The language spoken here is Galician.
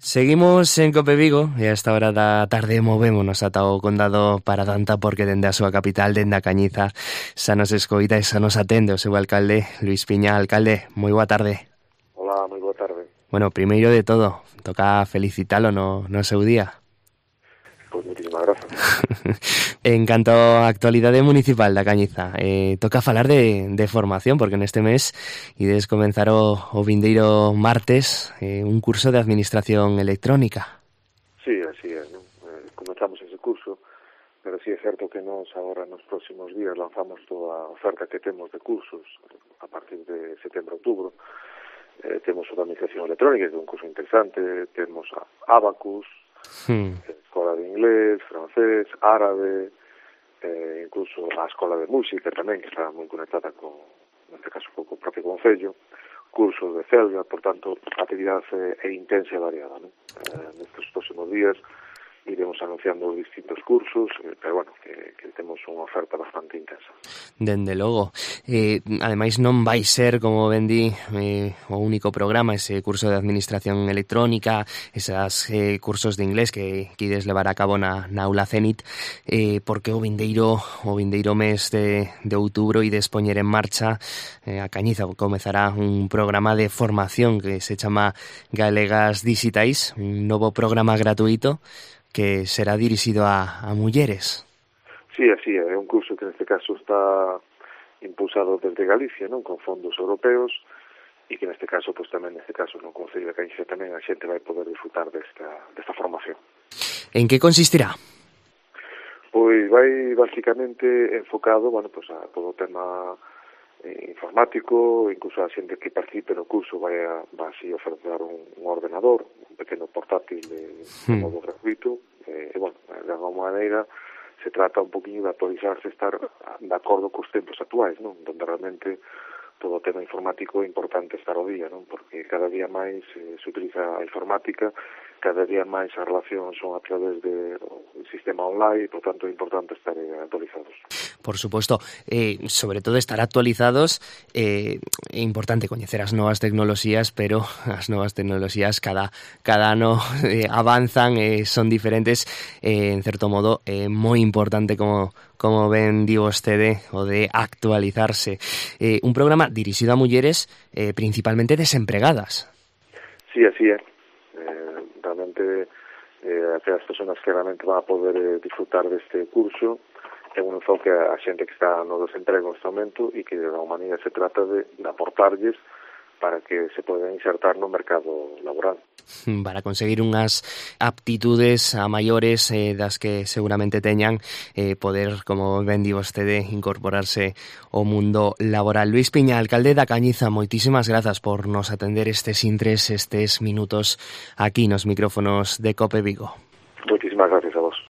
Seguimos en Cope Vigo e a esta hora da tarde movémonos ata o condado Paradanta porque dende a súa capital, dende a Cañiza, xa nos escoita e xa nos atende o seu alcalde, Luís Piña. Alcalde, moi boa tarde. Hola, moi boa tarde. Bueno, primeiro de todo, toca felicitalo no seu día. Pois moitísimas grazas. En canto á actualidade municipal da Cañiza, toca falar de formación, porque neste mes ides comenzar o vindeiro martes un curso de administración electrónica. Sí, así é, non? Comenzamos ese curso, pero sí é certo que nos agora nos próximos días lanzamos toda a oferta que temos de cursos a partir de setembro-outubro. Temos o de administración electrónica, que é un curso interesante, temos a Abacus, escola de inglés, francés, árabe, incluso a escola de música tamén, que está moi conectada con, neste caso, co propio concello, cursos de celga, por tanto, a actividade é intensa e variada, non? Nestes próximos días iremos anunciando os distintos cursos, pero bueno, que temos unha oferta bastante intensa. Dende logo. Ademais non vai ser, como ben di, o único programa, ese curso de administración electrónica, esas cursos de inglés que ides levar a cabo na aula Cenit, porque o vindeiro mes de outubro ides poñer en marcha a Cañiza comezará un programa de formación que se chama Galegas Digitais, un novo programa gratuito que será dirixido a mulleres. Sí, así é un curso que neste caso está impulsado desde Galicia, non, con fondos europeos, e que neste caso, pois tamén neste caso no Concello de Cañiza tamén a xente vai poder disfrutar desta formación. En que consistirá? Pois vai basicamente enfocado, bueno, pois a todo o tema informático, incluso a xente que participe no curso vai así ofertar un ordenador, un pequeno portátil de modo gratuito, e, bueno, de alguma maneira se trata un poquinho de actualizarse, estar de acordo cos tempos actuais, non? Donde realmente todo o tema informático é importante estar ao día, non? Porque cada día máis se utiliza a informática, cada día máis as relacións son a través do sistema online, e, por tanto, é importante estar actualizados. Por suposto, sobre todo estar actualizados, é importante coñecer as novas tecnoloxías, pero as novas tecnoloxías cada ano avanzan, son diferentes, en certo modo é moi importante como ben di vostede, o de actualizarse. Un programa dirixido a mulleres principalmente desempregadas. Sí, así é. Realmente aquelas personas que realmente van a poder disfrutar deste curso é un enfoque a xente que está no desemprego neste momento e que de alguma maneira se trata de aportarlles para que se podan insertar no mercado laboral. Para conseguir unhas aptitudes a maiores das que seguramente teñan, poder, como ben di vostede, incorporarse ao mundo laboral. Luís Piña, alcalde da Cañiza, moitísimas grazas por nos atender estes minutos aquí nos micrófonos de Cope Vigo. Moitísimas gracias.